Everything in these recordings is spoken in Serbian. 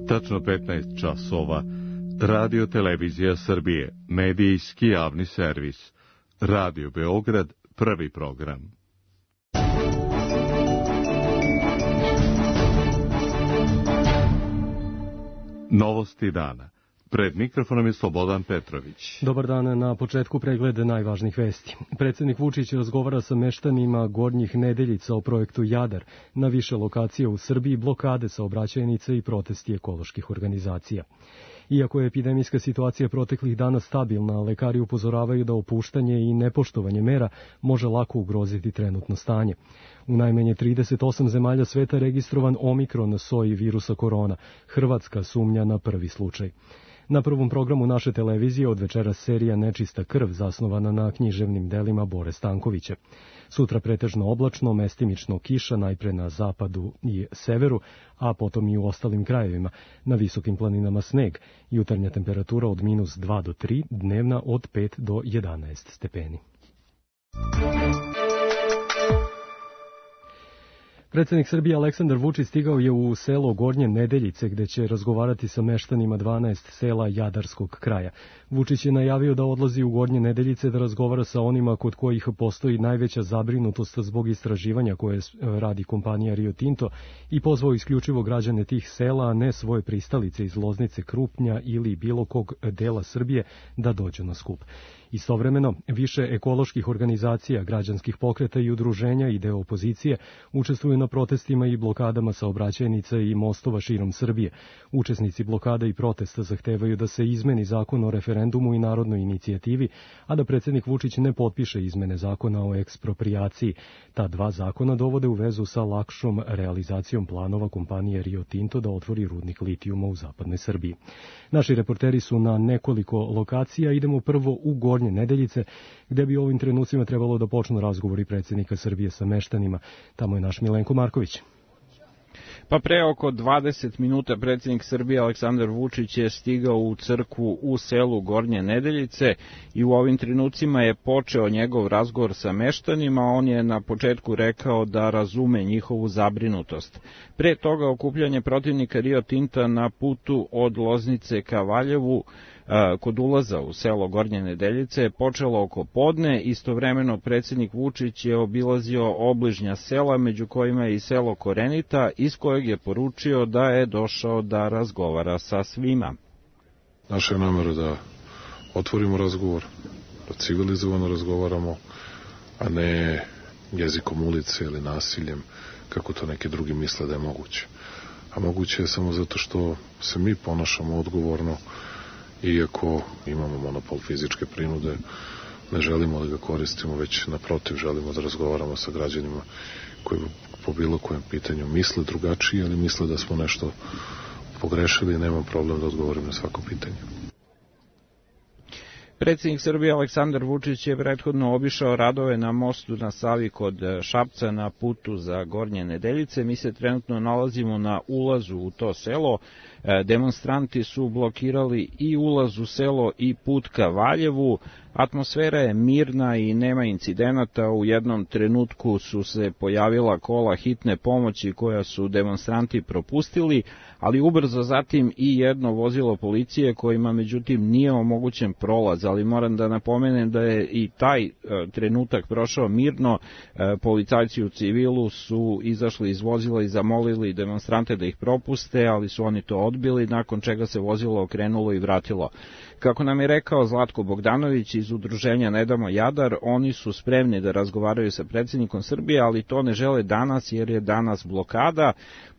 Tačno 15 časova. Radio Televizija Srbije, medijski javni servis. Radio Beograd, prvi program. Novosti dana. Pred mikrofonom je Slobodan Petrović. Dobar dan, na početku pregled najvažnijih vesti. Predsjednik Vučić razgovara sa meštanima Gornjih Nedeljica o projektu Jadar. Na više lokacija u Srbiji blokade saobraćajnice i protesti ekoloških organizacija. Iako je epidemijska situacija proteklih dana stabilna, lekari upozoravaju da opuštanje i nepoštovanje mera može lako ugroziti trenutno stanje. U najmanje 38 zemalja sveta registrovan omikron soji virusa korona. Hrvatska sumnja na prvi slučaj. Na prvom programu naše televizije od večera serija Nečista krv, zasnovana na književnim delima Bore Stankovića. Sutra pretežno oblačno, mestimično kiša, najpre na zapadu i severu, a potom i u ostalim krajevima. Na visokim planinama sneg, jutarnja temperatura od -2 do 3, dnevna od 5 do 11 stepeni. Predsjednik Srbije Aleksandar Vučić stigao je u selo Gornje Nedeljice, gde će razgovarati sa meštanima 12 sela Jadarskog kraja. Vučić je najavio da odlazi u Gornje Nedeljice da razgovara sa onima kod kojih postoji najveća zabrinutost zbog istraživanja koje radi kompanija Rio Tinto i pozvao isključivo građane tih sela, a ne svoje pristalice iz Loznice, Krupnja ili bilo kog dela Srbije da dođu na skup. Istovremeno, više ekoloških organizacija, građanskih pokreta i udruženja i deo opozicije učestvuju na protestima i blokadama saobraćajnica i mostova širom Srbije. Učesnici blokada i protesta zahtevaju da se izmeni zakon o referendumu i narodnoj inicijativi, a da predsjednik Vučić ne potpiše izmene zakona o eksproprijaciji. Ta dva zakona dovode u vezu sa lakšom realizacijom planova kompanije Rio Tinto da otvori rudnik litijuma u zapadnoj Srbiji. Naši reporteri su na nekoliko lokacija. Idemo prvo u Gornje Nedeljice, gde bi u ovim trenucima trebalo da počnu razgovori predsjednika Srbije sa meštanima. Tamo je naš Milenko Marković. Pa pre oko 20 minuta predsjednik Srbije Aleksandar Vučić je stigao u crkvu u selu Gornje Nedeljice i u ovim trenucima je počeo njegov razgovor sa meštanima. On je na početku rekao da razume njihovu zabrinutost. Pre toga okupljanje protivnika Rio Tinta na putu od Loznice ka Valjevu kod ulaza u selo Gornje Nedeljice je počelo oko podne. Istovremeno predsjednik Vučić je obilazio obližnja sela, među kojima je i selo Korenita, iz kojeg je poručio da je došao da razgovara sa svima. Naša je namera da otvorimo razgovor, da civilizovano razgovaramo, a ne jezikom ulice ili nasiljem, kako to neki drugi misle da je moguće. A moguće je samo zato što se mi ponašamo odgovorno. Iako imamo monopol fizičke prinude, ne želimo da ga koristimo, već naprotiv želimo da razgovaramo sa građanima koji po bilo kojem pitanju misle drugačije, ali misle da smo nešto pogrešili i nemam problem da odgovorim na svako pitanje. Predsjednik Srbije Aleksandar Vučić je prethodno obišao radove na mostu na Savi kod Šapca na putu za Gornje Nedeljice. Mi se trenutno nalazimo na ulazu u to selo. Demonstranti su blokirali i ulaz u selo i put ka Valjevu. Atmosfera je mirna i nema incidenata. U jednom trenutku su se pojavila kola hitne pomoći koja su demonstranti propustili, ali ubrzo zatim i jedno vozilo policije kojima međutim nije omogućen prolaz, ali moram da napomenem da je i taj trenutak prošao mirno. Policajci u civilu su izašli iz vozila i zamolili demonstrante da ih propuste, ali su oni to odbili, nakon čega se vozilo okrenulo i vratilo. Kako nam je rekao Zlatko Bogdanović iz udruženja Ne damo Jadar, oni su spremni da razgovaraju sa predsjednikom Srbije, ali to ne žele danas jer je danas blokada.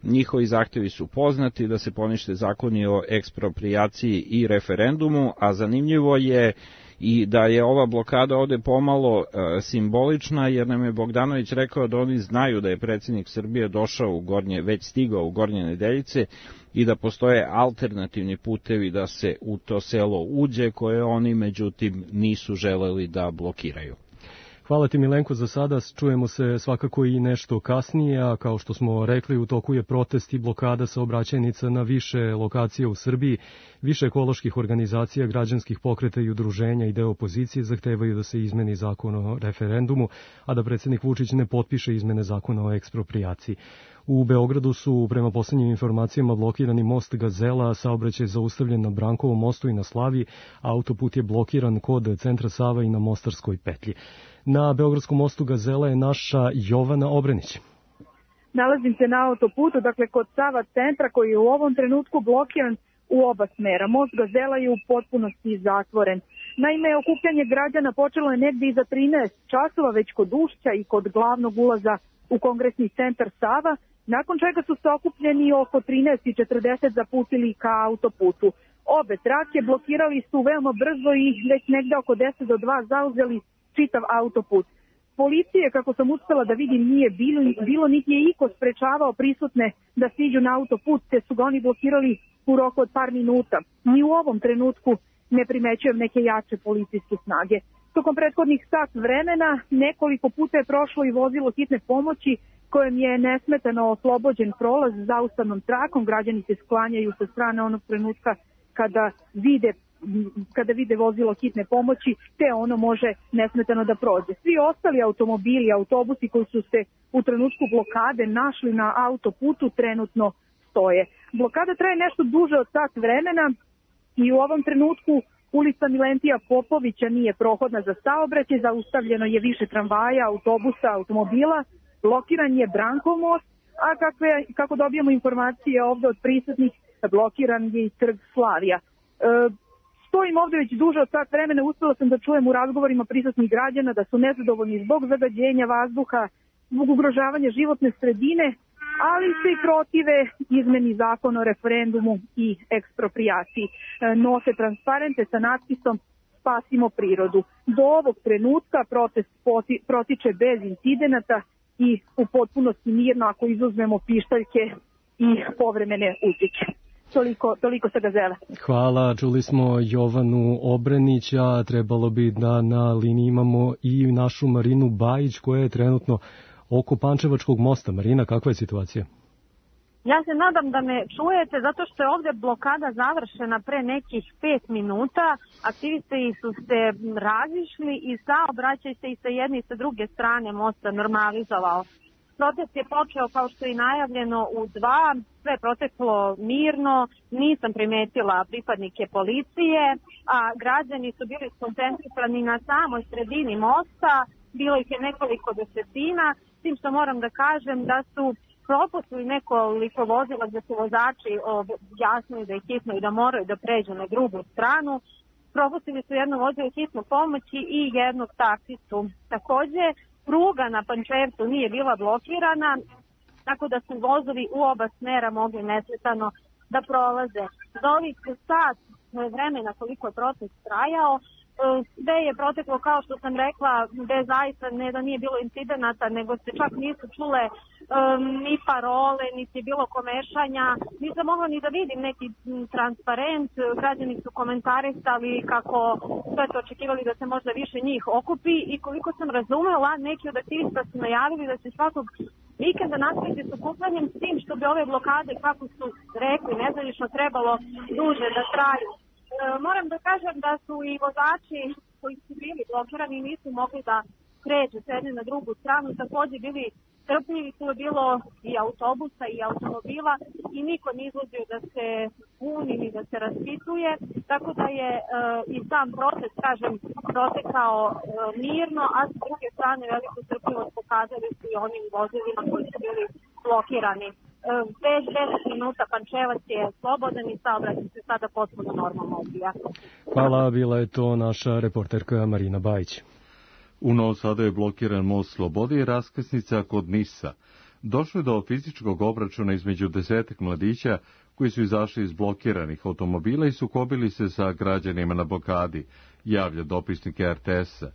Njihovi zahtjevi su poznati da se ponište zakoni o eksproprijaciji i referendumu, a zanimljivo je i da je ova blokada ovde pomalo simbolična, jer nam je Bogdanović rekao da oni znaju da je predsjednik Srbije već stigao u Gornje Nedeljice i da postoje alternativni putevi da se u to selo uđe, koje oni međutim nisu želeli da blokiraju. Hvala ti Milenko za sada, čujemo se svakako i nešto kasnije, a kao što smo rekli u toku je protest i blokada saobraćajnica na više lokacija u Srbiji. Više ekoloških organizacija, građanskih pokreta i udruženja i deo opozicije zahtevaju da se izmeni zakon o referendumu, a da predsjednik Vučić ne potpiše izmene zakona o eksproprijaciji. U Beogradu su, prema poslednjim informacijama, blokirani most Gazela, saobraćaj zaustavljen na Brankovom mostu i na Slaviji, autoput je blokiran kod centra Sava i na Mostarskoj petlji. Na Beogradskom mostu Gazela je naša Jovana Obrenić. Nalazim se na autoputu, dakle kod Sava centra koji je u ovom trenutku blokiran u oba smera. Most Gazela je u potpunosti zatvoren. Naime, okupljanje građana počelo je negdje iza 13 časova već kod ušća i kod glavnog ulaza u kongresni centar Sava, nakon čega su se okupljeni oko 13:40 zaputili ka autoputu. Obe trake blokirali su veoma brzo i već negde oko 10:02 zauzeli čitav autoput. Policije, kako sam uspela da vidim, nije bilo niti je iko sprečavao prisutne da siđu na autoput, te su ga oni blokirali u roku od par minuta. Ni u ovom trenutku ne primećujem neke jače policijske snage. Tokom prethodnih sat vremena nekoliko puta je prošlo i vozilo hitne pomoći kojem je nesmetano oslobođen prolaz zaustavnom trakom. Građani se sklanjaju sa strane onog trenutka kada vide vozilo hitne pomoći, te ono može nesmetano da prođe. Svi ostali automobili, autobusi koji su se u trenutku blokade našli na autoputu trenutno stoje. Blokada traje nešto duže od sat vremena i u ovom trenutku ulica Milentija Popovića nije prohodna za saobraćaj, zaustavljeno je više tramvaja, autobusa, automobila, blokiran je Brankov most, a kako dobijamo informacije ovde od prisutnih, blokiran je i trg Slavija. Stojim ovde već duže od sat vremena, uspela sam da čujem u razgovorima prisutnih građana da su nezadovoljni zbog zagađenja vazduha, zbog ugrožavanja životne sredine, ali se i protive izmeni zakona o referendumu i eksproprijaciji. Nose transparente sa natpisom Spasimo prirodu. Do ovog trenutka protest protiče bez incidenata i u potpunosti mirno ako izuzmemo pištaljke i povremene utike. Toliko sa Gazele. Hvala, čuli smo Jovanu Obrenić, a trebalo bi da na liniji imamo i našu Marinu Bajić koja je trenutno oko Pančevačkog mosta. Marina, kakva je situacija? Ja se nadam da me čujete zato što je ovde blokada završena pre nekih 5 minuta. Aktivisti su se razišli i saobraćaj se i sa jedne i sa druge strane mosta normalizovao. Protest je počeo kao što je najavljeno u 2, sve je proteklo mirno, nisam primetila pripadnike policije, a građani su bili skoncentrisani na samoj sredini mosta, bilo ih je nekoliko desetina, s tim što moram da kažem da su propustili nekoliko vozila gde su vozači objasnili da je hitno i da moraju da pređu na drugu stranu. Propustili su jedno vozilo hitnu pomoći i jednog taksistu. Takođe, pruga na Pančevcu nije bila blokirana, tako da su vozovi u oba smera mogli nesmetano da prolaze. Za ovih sat vremena koliko je protest trajao, sve je proteklo kao što sam rekla, gde zaista ne da nije bilo incidenata, nego se čak nisu čule ni parole, niti je bilo komešanja. Nisam mogla ni da vidim neki transparent, građani su komentarisali kako sve to očekivali da se možda više njih okupi i koliko sam razumela, neki od aktivista su najavili da će svakog vikenda nastaviti s okupljanjem s tim što bi ove blokade, kako su rekli, nezvanično trebalo duže da traju. Moram da kažem da su i vozači koji su bili blokirani i nisu mogli da pređu s jedne na drugu stranu, takođe bili trpljivi, tu je bilo i autobusa i automobila i niko ne izlazio da se buni ni da se raspituje, tako da je i sam protest, kažem, protekao mirno, a s druge strane veliku trpljivost pokazali su i onim vozilima koji su bili blokirani. Bez 10 minuta Pančevac je slobodan i saobraćaj se sada potpuno normalno odvija. Hvala, bila je to naša reporterka Marina Bajić. U Novom Sadu je blokiran most Slobode i raskrsnica kod Nisa. Došlo je do fizičkog obračuna između 10 mladića koji su izašli iz blokiranih automobila i sukobili se sa građanima na blokadi, javlja dopisnik RTS-a.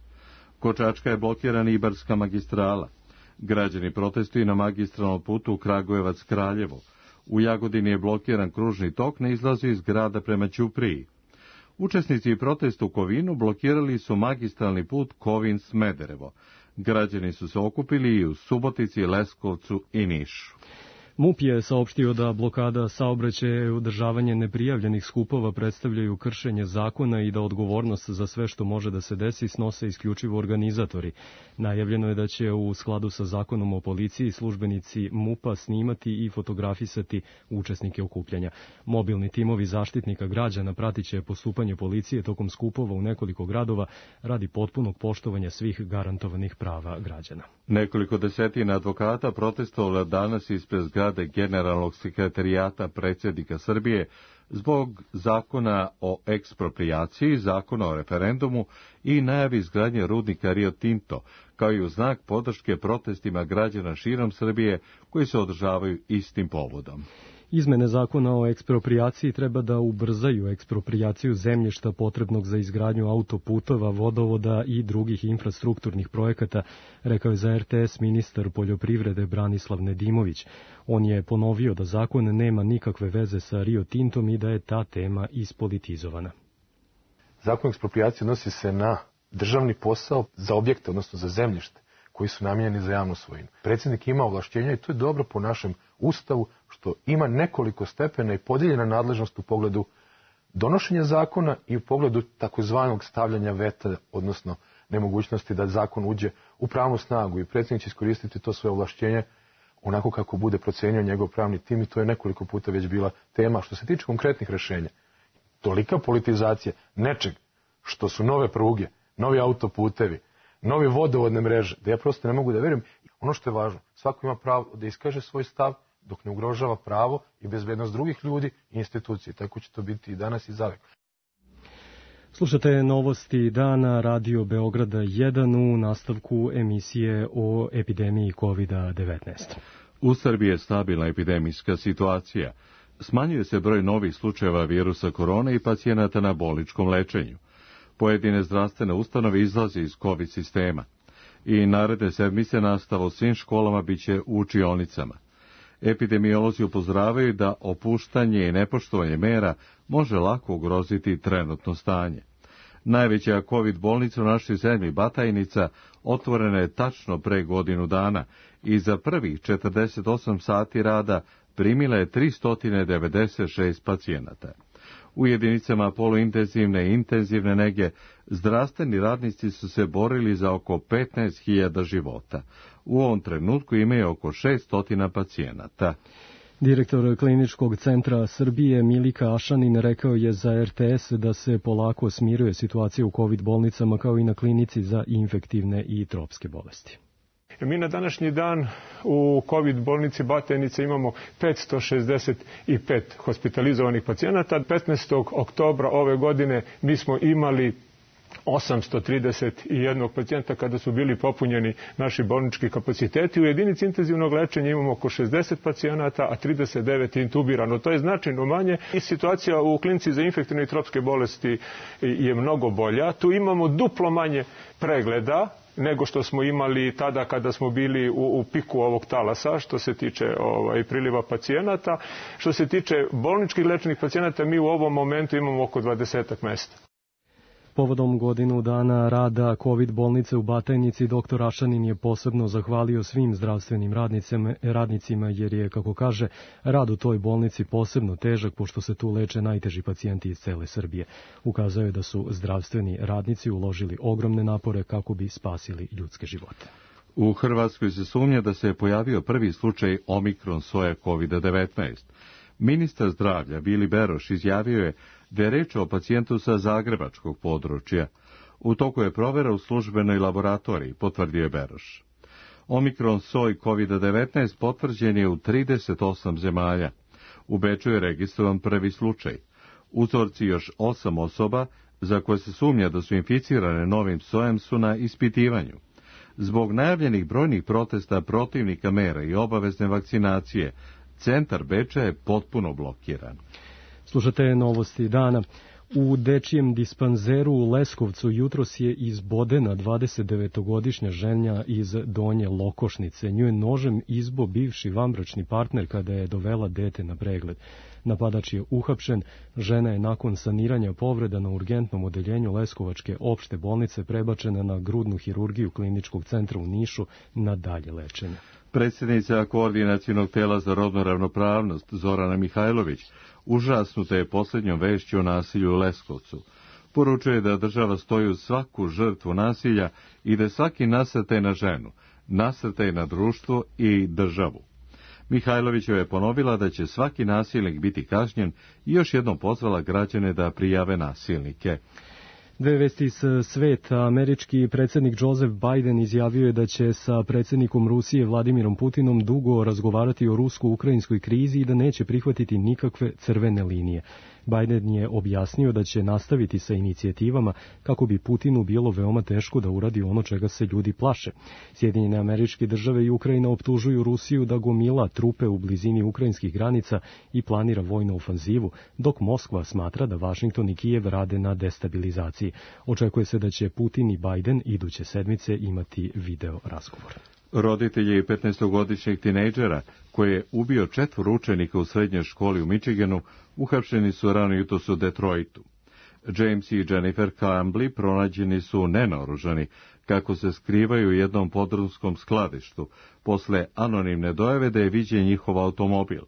Kod Čačka je blokirana Ibarska magistrala. Građani protestuju na magistralnom putu Kragujevac-Kraljevo. U Jagodini je blokiran kružni tok na izlazu iz grada prema Ćupriji. Učesnici protesta u Kovinu blokirali su magistralni put Kovin-Smederevo. Građani su se okupili i u Subotici, Leskovcu i Nišu. MUP je saopštio da blokada saobraćaja i održavanje neprijavljenih skupova predstavljaju kršenje zakona i da odgovornost za sve što može da se desi snose isključivo organizatori. Najavljeno je da će u skladu sa zakonom o policiji službenici MUP-a snimati i fotografisati učesnike okupljanja. Mobilni timovi zaštitnika građana pratit će postupanje policije tokom skupova u nekoliko gradova radi potpunog poštovanja svih garantovanih prava građana. Nekoliko desetina advokata protestovalo danas ispred zgrade Generalnog sekretarijata predsjednika Srbije zbog zakona o eksproprijaciji, zakona o referendumu i najavi izgradnje rudnika Rio Tinto, kao i u znak podrške protestima građana širom Srbije koji se održavaju istim povodom. Izmene zakona o eksproprijaciji treba da ubrzaju eksproprijaciju zemljišta potrebnog za izgradnju autoputova, vodovoda i drugih infrastrukturnih projekata, rekao je za RTS ministar poljoprivrede Branislav Nedimović. On je ponovio da zakon nema nikakve veze sa Rio Tintom i da je ta tema ispolitizovana. Zakon o eksproprijaciji odnosi se na državni posao za objekte, odnosno za zemljište, koji su namijenjeni za javnu svojinu. Predsjednik ima ovlašćenja i to je dobro po našem Ustavu, što ima nekoliko stepena i podijeljena nadležnost u pogledu donošenja zakona i u pogledu takozvanog stavljanja veta, odnosno nemogućnosti da zakon uđe u pravnu snagu i predsjednik će iskoristiti to svoje ovlašćenje onako kako bude procenio njegov pravni tim i to je nekoliko puta već bila tema. Što se tiče konkretnih rešenja, tolika politizacija nečeg što su nove pruge, novi autoputevi, novi vodovodne mreže, da ja prosto ne mogu da verujem. Ono što je važno, svako ima pravo da iskaže svoj stav dok ne ugrožava pravo i bezbednost drugih ljudi i institucije. Tako će to biti i danas i zavek. Slušate novosti dana Radio Beograda 1 u nastavku emisije o epidemiji COVID-19. U Srbiji je stabilna epidemijska situacija. Smanjuje se broj novih slučajeva virusa korone i pacijenata na bolničkom lečenju. Pojedine zdravstvene ustanove izlaze iz COVID sistema i naredne sedmice nastava u svim školama biće u učionicama. Epidemiolozi upozoravaju da opuštanje i nepoštovanje mera može lako ugroziti trenutno stanje. Najveća COVID bolnica u našoj zemlji, Batajnica, otvorena je tačno pre godinu dana i za prvih 48 sati rada primila je 396 pacijenata. U jedinicama poluintenzivne i intenzivne nege zdravstveni radnici su se borili za oko 15.000 života. U ovom trenutku imaju oko 600 pacijenata. Direktor Kliničkog centra Srbije Milika Ašanin rekao je za RTS da se polako smiruje situacija u COVID bolnicama kao i na klinici za infektivne i tropske bolesti. Mi na današnji dan u COVID bolnici Batajnica imamo 565 hospitalizovanih pacijenata. 15. oktobra ove godine mi smo imali 831 pacijenta kada su bili popunjeni naši bolnički kapaciteti. U jedinici intenzivnog lečenja imamo oko 60 pacijenata, a 39 intubirano. To je značajno manje. I situacija u klinici za infektivne i tropske bolesti je mnogo bolja. Tu imamo duplo manje pregleda nego što smo imali tada kada smo bili u piku ovog talasa, što se tiče priliva pacijenata. Što se tiče bolničkih lečenih pacijenata, mi u ovom momentu imamo oko 20 mesta. Povodom godinu dana rada COVID bolnice u Batajnici, dr. Ašanin je posebno zahvalio svim zdravstvenim radnicima jer je, kako kaže, rad u toj bolnici posebno težak pošto se tu leče najteži pacijenti iz cele Srbije. Ukazao je da su zdravstveni radnici uložili ogromne napore kako bi spasili ljudske živote. U Hrvatskoj se sumnja da se je pojavio prvi slučaj omikron soje COVID-19. Ministar zdravlja Vili Beroš izjavio je da je reč o pacijentu sa zagrebačkog područja. U toku je provera u službenoj laboratoriji, potvrdio je Beroš. Omikron soj COVID-19 potvrđen je u 38 zemalja. U Beču je registrovan prvi slučaj. Uzorci još 8 osoba za koje se sumnja da su inficirane novim sojem su na ispitivanju. Zbog najavljenih brojnih protesta protivnika mera i obavezne vakcinacije, centar Beča je potpuno blokiran. Slušate novosti dana. U dečijem dispanzeru u Leskovcu jutros je izbodena 29-godišnja žena iz Donje Lokošnice. Nju je nožem izbo bivši vanbračni partner kada je dovela dete na pregled. Napadač je uhapšen, žena je nakon saniranja povreda na urgentnom odeljenju Leskovačke opšte bolnice prebačena na grudnu hirurgiju Kliničkog centra u Nišu na dalje lečenje. Predsjednica Koordinacionog tela za rodnu ravnopravnost Zorana Mihajlović užasnuta je posljednjom vešću o nasilju u Leskovcu. Poručuje da država stoji uz svaku žrtvu nasilja i da svaki nasrtaj na ženu, nasrtaj na društvo i državu. Mihajlovićeva je ponovila da će svaki nasilnik biti kažnjen i još jednom pozvala građane da prijave nasilnike. Dve vesti iz sveta. Američki predsjednik Joseph Biden izjavio je da će sa predsjednikom Rusije Vladimirom Putinom dugo razgovarati o rusko-ukrajinskoj krizi i da neće prihvatiti nikakve crvene linije. Biden je objasnio da će nastaviti sa inicijativama kako bi Putinu bilo veoma teško da uradi ono čega se ljudi plaše. Sjedinjene Američke Države i Ukrajina optužuju Rusiju da gomila trupe u blizini ukrajinskih granica i planira vojnu ofanzivu, dok Moskva smatra da Vašington i Kijev rade na destabilizaciji. Očekuje se da će Putin i Biden iduće sedmice imati video razgovor. Roditelji 15-godišnjeg tinejdžera, koji je ubio 4 učenika u srednjoj školi u Michiganu, uhapšeni su rano jutros u Detroitu. James i Jennifer Campbell pronađeni su nenaoružani, kako se skrivaju u jednom podrumskom skladištu, posle anonimne dojave da je viđen njihov automobil.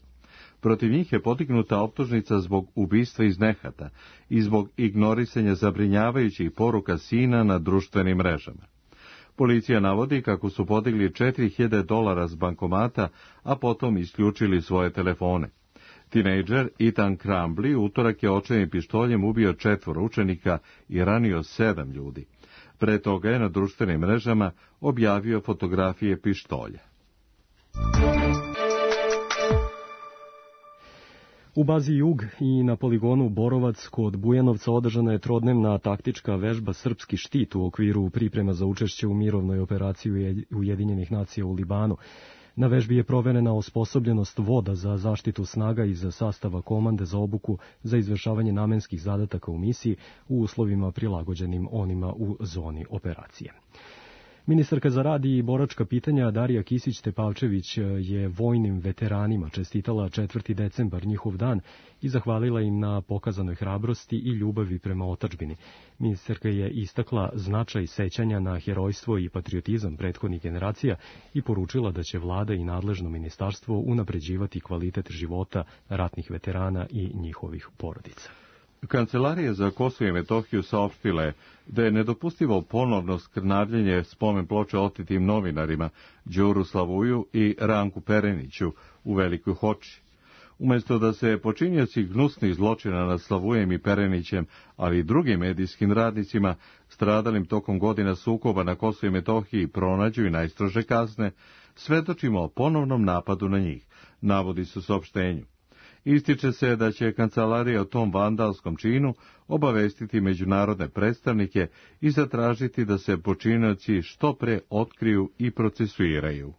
Protiv njih je podignuta optužnica zbog ubistva iz nehata i zbog ignorisanja zabrinjavajućih poruka sina na društvenim mrežama. Policija navodi kako su podigli $4.000 s bankomata, a potom isključili svoje telefone. Tinejdžer Ethan Crumbley utorak je očajnim pištoljem ubio 4 učenika i ranio 7 ljudi. Pre toga je na društvenim mrežama objavio fotografije pištolja. U bazi Jug i na poligonu Borovac kod Bujanovca održana je trodnevna taktička vežba Srpski štit u okviru priprema za učešće u mirovnoj operaciji Ujedinjenih nacija u Libanu. Na vežbi je proverena osposobljenost voda za zaštitu snaga iz sastava komande za obuku za izvršavanje namenskih zadataka u misiji u uslovima prilagođenim onima u zoni operacije. Ministarka za rad i boračka pitanja Darija Kisić-Tepavčević je vojnim veteranima čestitala 4. decembar, njihov dan, i zahvalila im na pokazanoj hrabrosti i ljubavi prema otadžbini. Ministarka je istakla značaj sećanja na herojstvo i patriotizam prethodnih generacija i poručila da će vlada i nadležno ministarstvo unapređivati kvalitet života ratnih veterana i njihovih porodica. Kancelarija za Kosovo i Metohiju saopštila je da je nedopustivo ponovno skrnavljenje spomen ploče otetim novinarima Đuru Slavuju i Ranku Pereniću u Velikoj Hoči. Umjesto da se počinioci gnusnih zločina nad Slavujem i Perenićem, ali i drugim medijskim radnicima stradalim tokom godina sukoba na Kosovu i Metohiji pronađu i najstrože kazne, svedočimo o ponovnom napadu na njih, navodi se u saopštenju. Ističe se da će kancelarija o tom vandalskom činu obavestiti međunarodne predstavnike i zatražiti da se počinioci što pre otkriju i procesuiraju.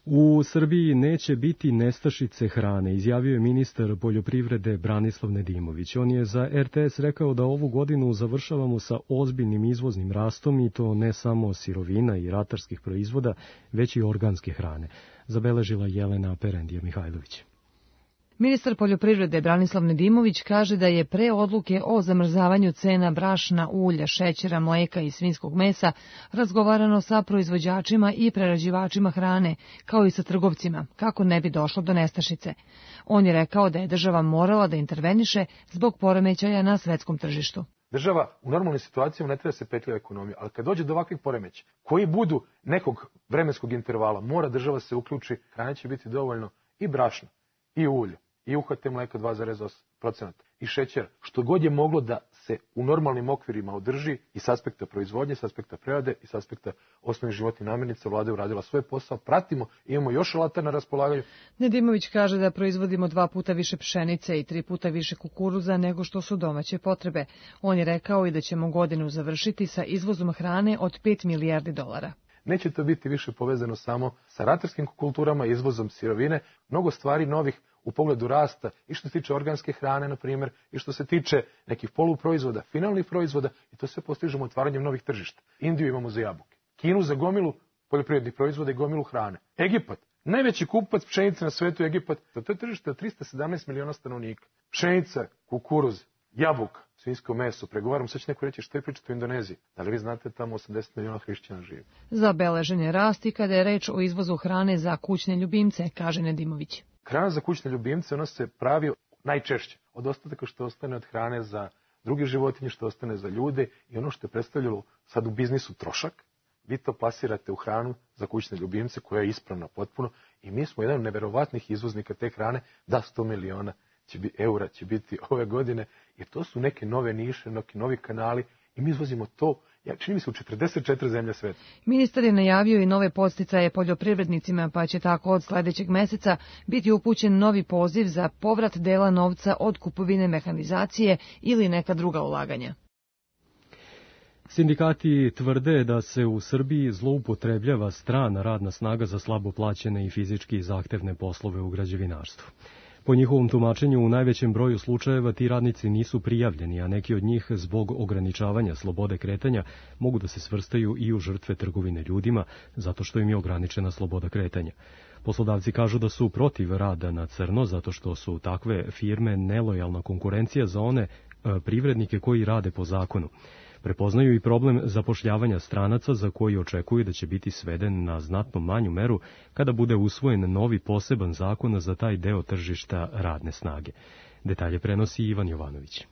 U Srbiji neće biti nestašice hrane, izjavio je ministar poljoprivrede Branislav Nedimović. On je za RTS rekao da ovu godinu završavamo sa ozbiljnim izvoznim rastom i to ne samo sirovina i ratarskih proizvoda, već i organske hrane, zabeležila Jelena Perendija Mihajlović. Ministar poljoprivrede Branislav Nedimović kaže da je pre odluke o zamrzavanju cena brašna, ulja, šećera, mleka i svinjskog mesa razgovarano sa proizvođačima i prerađivačima hrane, kao i sa trgovcima, kako ne bi došlo do nestašice. On je rekao da je država morala da interveniše zbog poremećaja na svetskom tržištu. Država u normalnim situacijama ne treba se petlja ekonomija, ali kad dođe do ovakvih poremeća, koji budu nekog vremenskog intervala, mora država se uključi, hrane će biti dovoljno i brašna, i ulja, i UHT mleka 2,8% i šećera, što god je moglo da se u normalnim okvirima održi i s aspekta proizvodnje, s aspekta prerade i s aspekta osnovnih životnih namirnica. Vlada je uradila svoj posao, pratimo, imamo još alata na raspolaganju. Nedimović kaže da proizvodimo 2 puta više pšenice i 3 puta više kukuruza nego što su domaće potrebe. On je rekao i da ćemo godinu završiti sa izvozom hrane od $5 milijardi. Neće to biti više povezano samo sa ratarskim kulturama, izvozom sirovine, mnogo stvari novih u pogledu rasta i što se tiče organske hrane, na primjer, i što se tiče nekih poluproizvoda, finalnih proizvoda, i to sve postižemo otvaranjem novih tržišta. Indiju imamo za jabuke, Kinu za gomilu poljoprivrednih proizvoda i gomilu hrane. Egipat, najveći kupac pšenice na svetu je Egipat, to je tržište od 317 miliona stanovnika. Pšenica, kukuruz, jabuka, svinjsko meso, pregovaram, sad će neko reći što je pričati u Indoneziji. Da li vi znate tamo 80 miliona hrišćana živi? Zabeležen je rast i kada je reč o izvozu hrane za kućne ljubimce, kaže Nedimović. Hrana za kućne ljubimce, ona se pravi najčešće od ostataka što ostane od hrane za druge životinje, što ostane za ljude i ono što je predstavljalo sad u biznisu trošak, vi to plasirate u hranu za kućne ljubimce koja je ispravna potpuno i mi smo jedan od neverovatnih izvoznika te hrane, da 100 miliona eura će biti ove godine, jer to su neke nove niše, neki novi kanali i mi izvozimo to, čini mi se, u 44 zemlje sveta. Ministar je najavio i nove podsticaje poljoprivrednicima, pa će tako od sledećeg meseca biti upućen novi poziv za povrat dela novca od kupovine mehanizacije ili neka druga ulaganja. Sindikati tvrde da se u Srbiji zloupotrebljava strana radna snaga za slabo plaćene i fizički zahtevne poslove u građevinarstvu. Po njihovom tumačenju, u najvećem broju slučajeva ti radnici nisu prijavljeni, a neki od njih zbog ograničavanja slobode kretanja mogu da se svrstaju i u žrtve trgovine ljudima, zato što im je ograničena sloboda kretanja. Poslodavci kažu da su protiv rada na crno, zato što su takve firme nelojalna konkurencija za one privrednike koji rade po zakonu. Prepoznaju i problem zapošljavanja stranaca za koji očekuju da će biti sveden na znatno manju meru kada bude usvojen novi poseban zakon za taj deo tržišta radne snage. Detalje prenosi Ivan Jovanović.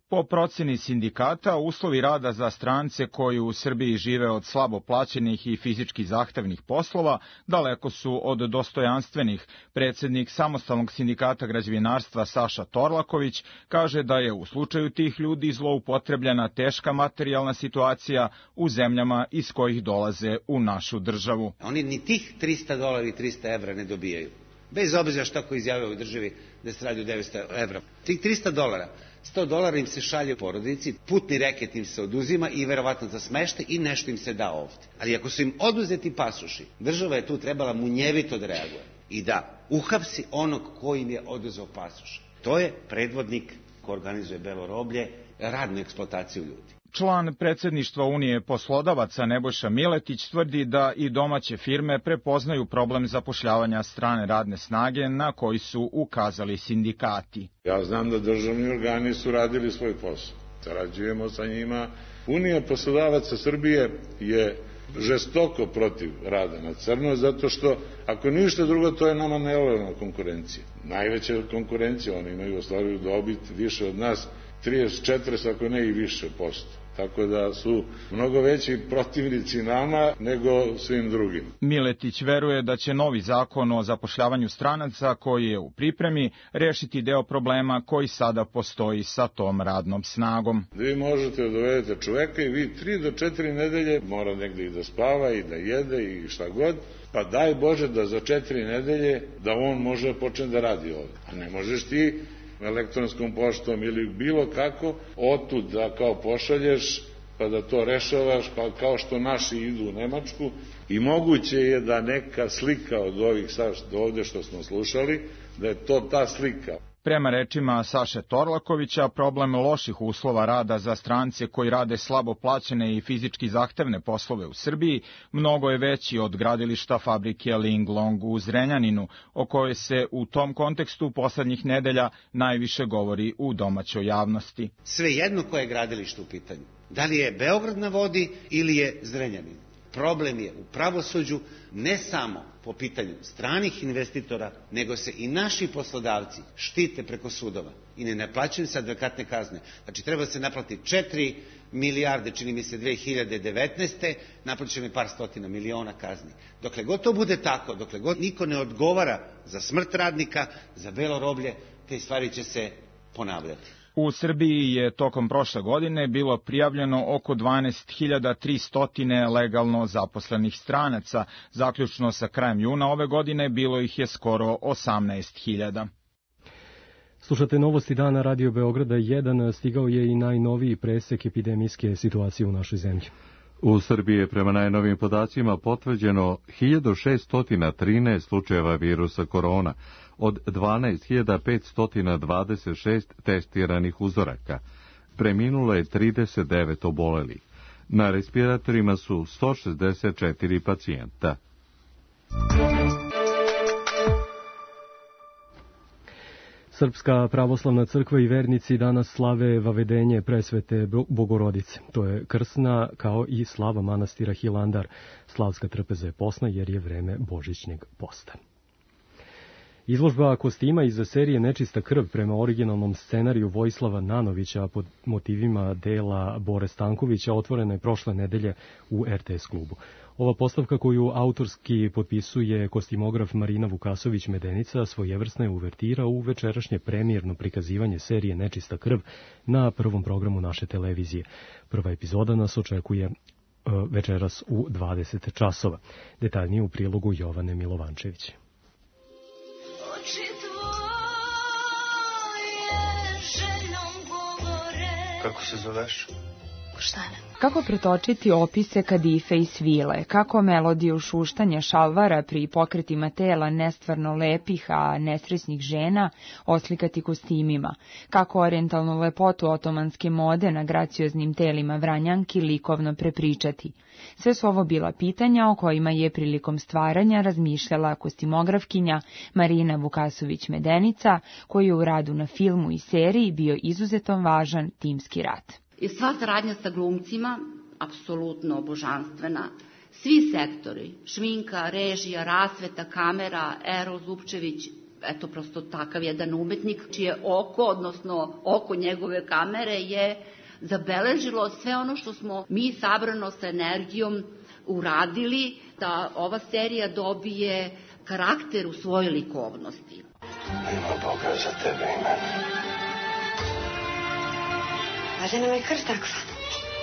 Po proceni sindikata, uslovi rada za strance koji u Srbiji žive od slabo plaćenih i fizički zahtevnih poslova daleko su od dostojanstvenih. Predsednik Samostalnog sindikata građevinarstva Saša Torlaković kaže da je u slučaju tih ljudi zloupotrebljena teška materijalna situacija u zemljama iz kojih dolaze u našu državu. Oni ni tih $300 i 300 evra ne dobijaju. Bez obzira šta ko izjavio u državi da se radi o 900 evra. Tih $300, $100 im se šalje u porodici, putni reket im se oduzima i verovatno za smeštaj i nešto im se da ovde. Ali ako su im oduzeti pasoši, država je tu trebala munjevito da reaguje i da uhapsi onog ko im je oduzeo pasoš. To je predvodnik ko organizuje belo roblje, radnu eksploataciju ljudi. Član predsedništva Unije poslodavaca Nebojša Miletić tvrdi da i domaće firme prepoznaju problem zapošljavanja strane radne snage na koji su ukazali sindikati. Ja znam da državni organi su radili svoj posao. Sarađujemo sa njima. Unija poslodavaca Srbije je žestoko protiv rada na crno, zato što ako ništa drugo, to je nama nelojalna konkurencija. Najveća konkurencija, oni imaju ostvaruju dobit više od nas, 34, ako ne i više posto. Tako da su mnogo veći protivnici nama nego svim drugim. Miletić veruje da će novi zakon o zapošljavanju stranaca koji je u pripremi rešiti deo problema koji sada postoji sa tom radnom snagom. Vi možete da dovedete čoveka i vi 3 do 4 nedelje mora negde i da spava i da jede i šta god, pa daj Bože da za 4 nedelje da on može početi da radi ovde. A ne možeš ti elektronskom poštom ili bilo kako, otud da kao pošalješ, pa da to rešavaš, pa kao što naši idu u Nemačku. I moguće je da neka slika od ovih ovde što smo slušali, da je to ta slika. Prema rečima Saše Torlakovića, problem loših uslova rada za strance koji rade slabo plaćene i fizički zahtevne poslove u Srbiji mnogo je veći od gradilišta fabrike Linglong u Zrenjaninu, o kojoj se u tom kontekstu poslednjih nedelja najviše govori u domaćoj javnosti. Svejedno koje je gradilište u pitanju. Da li je Beograd na vodi ili je Zrenjanin. Problem je u pravosuđu ne samo po pitanju stranih investitora, nego se i naši poslodavci štite preko sudova i ne naplaćuju se advokatne kazne. Znači treba se naplati 4 milijarde, čini mi se 2019. Naplaćeno je par stotina miliona kazni. Dokle god to bude tako, dokle god niko ne odgovara za smrt radnika, za belo roblje, te stvari će se ponavljati. U Srbiji je tokom prošle godine bilo prijavljeno oko 12.300 legalno zaposlenih stranaca. Zaključno sa krajem juna ove godine bilo ih je skoro 18.000. Slušate novosti dana Radio Beograda 1, stigao je i najnoviji presek epidemijske situacije u našoj zemlji. U Srbiji je prema najnovijim podacima potvrđeno 1613 slučajeva virusa korona, od 12.526 testiranih uzoraka. Preminulo je 39 obolelih. Na respiratorima su 164 pacijenta. Srpska pravoslavna crkva i vernici danas slave vavedenje presvete Bogorodice. To je krsna kao i slava manastira Hilandar. Slavska trpeza je posna jer je vreme božićnjeg posta. Izložba kostima iz serije Nečista krv prema originalnom scenariju Vojislava Nanovića pod motivima dela Bore Stankovića otvorena je prošle nedelje u RTS klubu. Ova postavka koju autorski potpisuje kostimograf Marina Vukasović-Medenica svojevrsna je uvertira u večerašnje premijerno prikazivanje serije Nečista krv na prvom programu naše televizije. Prva epizoda nas očekuje večeras u 20 časova. Detaljnije u prilogu Jovane Milovančević. Kako se zoveš? Boždana. Kako pretočiti opise kadife i svile, kako melodiju šuštanja šalvara pri pokretima tela nestvarno lepih, a nesrećnih žena oslikati kostimima, kako orijentalnu lepotu otomanske mode na gracioznim telima Vranjanki likovno prepričati. Sve su ovo bila pitanja o kojima je prilikom stvaranja razmišljala kostimografkinja Marina Vukasović-Medenica, koji je u radu na filmu i seriji bio izuzetno važan timski rad. I sva saradnja sa glumcima, apsolutno božanstvena. Svi sektori, šminka, režija, rasveta, kamera, Ero Zupčević, eto prosto takav jedan umetnik, čije oko, odnosno oko njegove kamere je zabeležilo sve ono što smo mi sabrano sa energijom uradili, da ova serija dobije karakter u svojoj likovnosti. Ima Boga za tebe i mene. Važda nam je krst takva,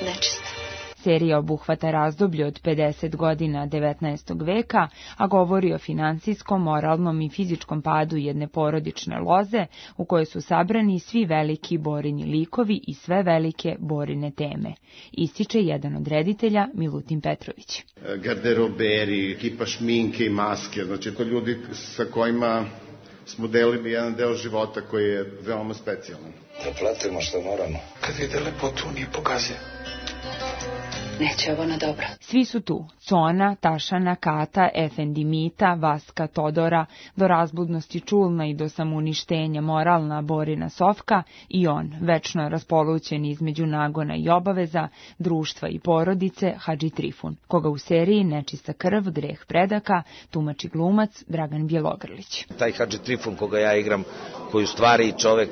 nečista. Serija obuhvata razdoblje od 50 godina 19. veka, a govori o finansijskom, moralnom i fizičkom padu jedne porodične loze u kojoj su sabrani svi veliki Borini likovi i sve velike Borine teme. Ističe jedan od reditelja, Milutin Petrović. Garderoberi, ekipa šminke i maske, znači to ljudi sa kojima smo delili jedan deo života koji je veoma specijalan. Da platimo što moramo. Kad vide lepotu, nije pokazuje. Neće ovo na dobro. Svi su tu. Cona, Tašana, Kata, Efendimita, Vaska, Todora, do razbudnosti čulna i do samouništenja moralna Borina Sofka i on, večno raspolućen između nagona i obaveza, društva i porodice, Hadži Trifun, koga u seriji Nečista krv, greh predaka, tumači glumac Dragan Bjelogrlić. Taj Hadži Trifun koga ja igram, koji u stvari čovek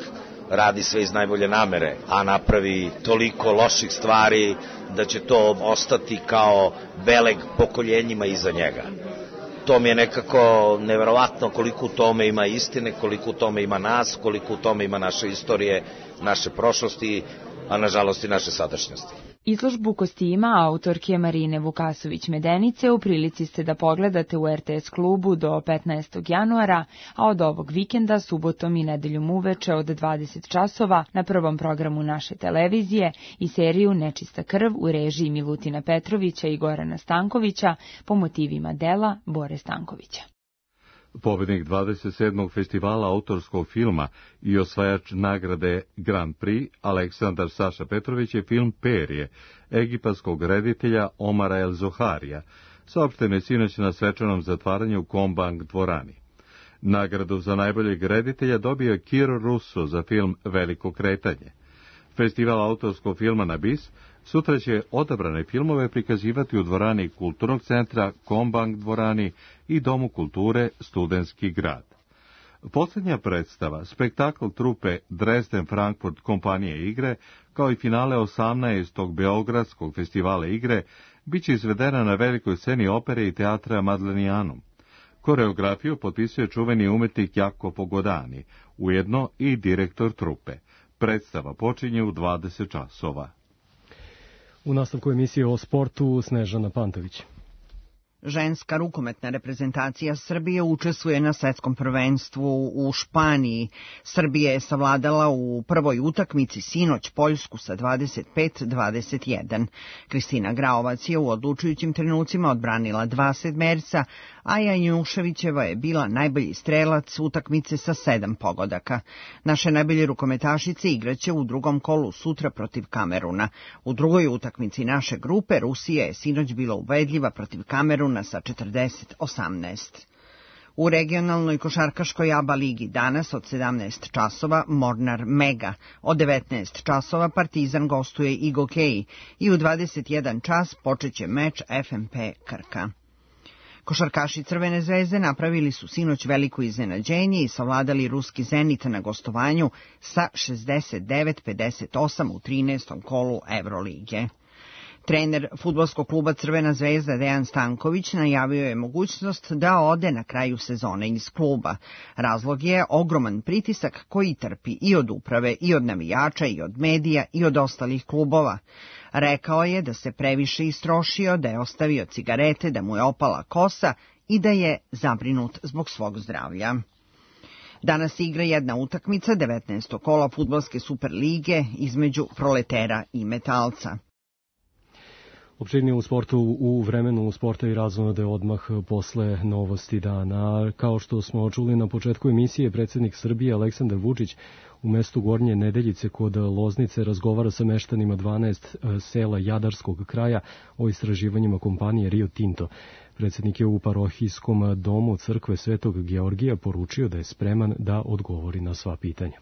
radi sve iz najbolje namere, a napravi toliko loših stvari da će to ostati kao beleg pokoljenjima iza njega. To mi je nekako neverovatno koliko u tome ima istine, koliko u tome ima nas, koliko u tome ima naše istorije, naše prošlosti, a nažalost i naše sadašnjosti. Izložbu kostima autorke Marine Vukasović-Medenice u prilici ste da pogledate u RTS klubu do 15. januara, a od ovog vikenda subotom i nedeljom uveče od 20 časova na prvom programu naše televizije i seriju Nečista krv u režiji Milutina Petrovića i Gorana Stankovića po motivima dela Bore Stankovića. Pobednik 27. festivala autorskog filma i osvajač nagrade Grand Prix Aleksandar Saša Petrović je film Perje, egipatskog reditelja Omara El Zoharija, saopšteno je sinoć na svečanom zatvaranju u Kombank dvorani. Nagradu za najboljeg reditelja dobio je Kiro Russo za film Veliko kretanje. Festival autorskog filma na BIS sutra će odabrane filmove prikazivati u dvorani Kulturnog centra, Kombank dvorani i Domu kulture Studentski grad. Posljednja predstava, spektakl trupe Dresden Frankfurt kompanije igre, kao i finale 18. Beogradskog festivala igre, bit će izvedena na velikoj sceni opere i teatra Madlenijanum. Koreografiju potpisuje čuveni umetnik Jacopo Godani, ujedno i direktor trupe. Predstava počinje u 20 časova. U nastavku emisije o sportu Snežana Pantović. Ženska rukometna reprezentacija Srbije učestvuje na svetskom prvenstvu u Španiji. Srbija je savladala u prvoj utakmici sinoć Poljsku sa 25-21. Kristina Graovac je u odlučujućim trenucima odbranila 2 sedmerca, a Janjuševićeva je bila najbolji strelac utakmice sa 7 pogodaka. Naše najbolje rukometašice igraće u drugom kolu sutra protiv Kameruna. U drugoj utakmici naše grupe Rusija je sinoć bila ubedljiva protiv Kameruna sa 40-18. U regionalnoj košarkaškoj ABA ligi danas od 17 časova Mornar Mega, od 19 časova Partizan gostuje Igokej i u 21 čas počeće meč FNP Krka. Košarkaši Crvene zvezde napravili su sinoć veliko iznenađenje i savladali ruski Zenit na gostovanju sa 69-58 u 13. kolu Evrolige. Trener fudbalskog kluba Crvena zvezda Dejan Stanković najavio je mogućnost da ode na kraju sezone iz kluba. Razlog je ogroman pritisak koji trpi i od uprave, i od navijača, i od medija, i od ostalih klubova. Rekao je da se previše istrošio, da je ostavio cigarete, da mu je opala kosa i da je zabrinut zbog svog zdravlja. Danas igra jedna utakmica 19. kola fudbalske Superlige između Proletera i Metalca. Opširnije u sportu u vremenu sporta i razonode odmah posle novosti dana. Kao što smo čuli na početku emisije, predsjednik Srbije Aleksandar Vučić u mestu Gornje Nedeljice kod Loznice razgovara sa meštanima 12 sela Jadarskog kraja o istraživanjima kompanije Rio Tinto. Predsjednik je u parohijskom domu crkve Svetog Georgija poručio da je spreman da odgovori na sva pitanja.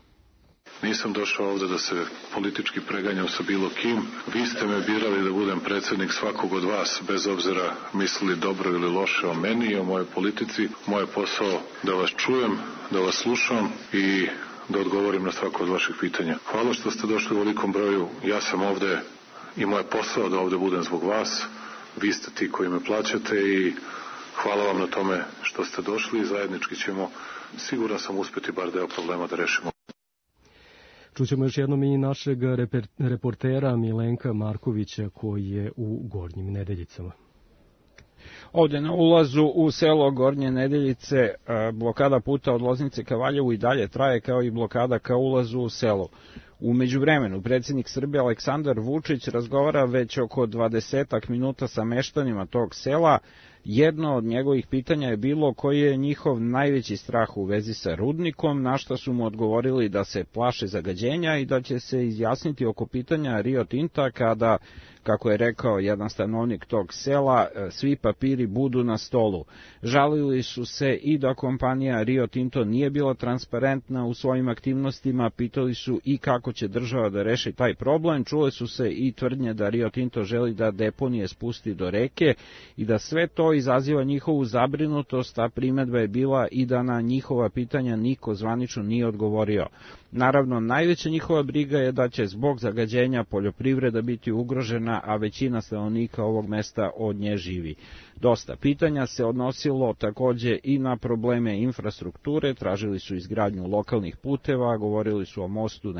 Nisam došao ovde da se politički preganjam sa bilo kim. Vi ste me birali da budem predsjednik svakog od vas, bez obzira mislili dobro ili loše o meni i o mojoj politici. Moje posao da vas čujem, da vas slušam i da odgovorim na svako od vaših pitanja. Hvala što ste došli u velikom broju. Ja sam ovde i moj posao da ovde budem zbog vas. Vi ste ti koji me plaćate i hvala vam na tome što ste došli i zajednički ćemo, siguran sam, uspeti bar deo problema da rešimo. Čućemo još jednom i našeg reportera Milenka Markovića koji je u Gornjim Nedeljicama. Ovde na ulazu u selo Gornje Nedeljice blokada puta od Loznice ka Valjevu i dalje traje, kao i blokada ka ulazu u selo. U međuvremenu, predsjednik Srbije Aleksandar Vučić razgovara već oko 20 minuta sa meštanima tog sela. Jedno od njegovih pitanja je bilo koji je njihov najveći strah u vezi sa rudnikom, na što su mu odgovorili da se plaše zagađenja i da će se izjasniti oko pitanja Rio Tinta kada, kako je rekao jedan stanovnik tog sela, svi papiri budu na stolu. Žalili su se i da kompanija Rio Tinto nije bila transparentna u svojim aktivnostima, pitali su i kako će država da reši taj problem, čule su se i tvrdnje da Rio Tinto želi da deponije spusti do reke i da sve to izaziva njihovu zabrinutost, a primedba je bila i da na njihova pitanja niko zvanično nije odgovorio. Naravno, najveća njihova briga je da će zbog zagađenja poljoprivreda biti ugrožena, a većina stanovnika ovog mesta od nje živi. Dosta pitanja se odnosilo takođe i na probleme infrastrukture, tražili su izgradnju lokalnih puteva, govorili su o mostu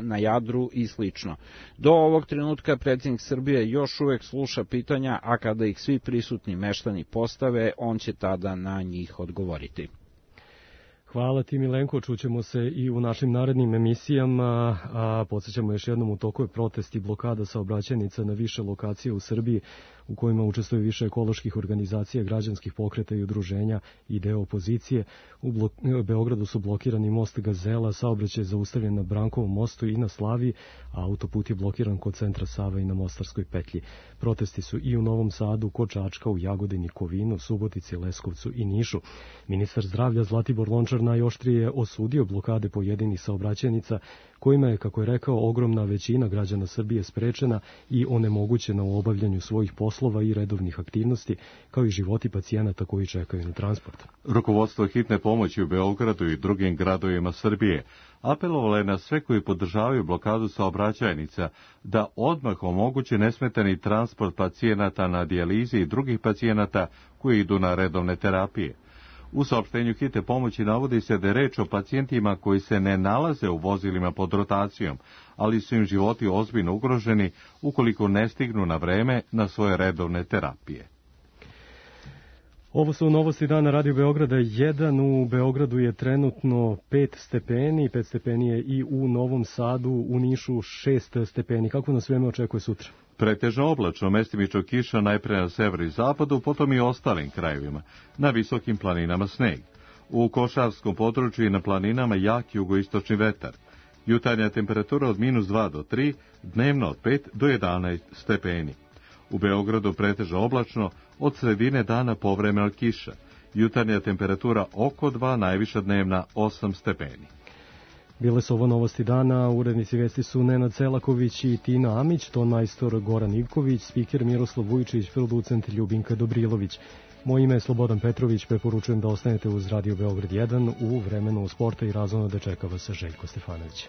na Jadru i slično. Do ovog trenutka predsjednik Srbije još uvek sluša pitanja, a kada ih svi prisutni meštani postave, on će tada na njih odgovoriti. Hvala ti Milenko, čućemo se i u našim narednim emisijama, a podsjećamo još jednom u toku je protest i blokada saobraćajnica na više lokacije u Srbiji u kojima učestvuje više ekoloških organizacija, građanskih pokreta i udruženja i deo opozicije. U Beogradu su blokirani most Gazela, saobraćaj je zaustavljen na Brankovom mostu i na Slaviji, a autoput je blokiran kod centra Save i na Mostarskoj petlji. Protesti su i u Novom Sadu, kod Čačka, u Jagodini, Kovinu, Subotici, Leskovcu i Nišu. Ministar zdravlja Zlatibor Lončar najoštrije osudio blokade pojedinih saobraćajnica, kojima je, kako je rekao, ogromna većina građana Srbije sprečena i onemogućena u obavljanju svojih poslova i redovnih aktivnosti, kao i životi pacijenata koji čekaju na transport. Rukovodstvo hitne pomoći u Beogradu i drugim gradovima Srbije apelovalo je na sve koji podržavaju blokadu saobraćajnica da odmah omoguće nesmetani transport pacijenata na dijalizi i drugih pacijenata koji idu na redovne terapije. U saopštenju hitne pomoći navodi se da je reč o pacijentima koji se ne nalaze u vozilima pod rotacijom, ali su im životi ozbiljno ugroženi ukoliko ne stignu na vreme na svoje redovne terapije. Ovo su novosti dana Radio Beograda 1. U Beogradu je trenutno 5 stepeni, 5 stepeni je i u Novom Sadu, u Nišu 6 stepeni. Kako nas vreme očekuje sutra? Pretežno oblačno, mestimično kiša najpre na severu i zapadu, potom i ostalim krajevima. Na visokim planinama sneg. U Košarskom području i na planinama jak jugoistočni vetar. Jutarnja temperatura od -2 do 3, dnevno od 5 do 11 stepeni. U Beogradu pretežno oblačno, od sredine dana povremena kiša. jutarnja temperatura oko 2, najviša dnevna 8 stepeni. Bile su ovo novosti dana, urednici vesti su Nenad Selaković i Tina Amić, ton majstor Goran Ivković, spiker Miroslav Vujčić, producent Ljubinka Dobrilović. Moje ime je Slobodan Petrović, preporučujem da ostanete uz Radio Beograd 1 u vremenu sporta i razvoja da čeka vas Željko Stefanović.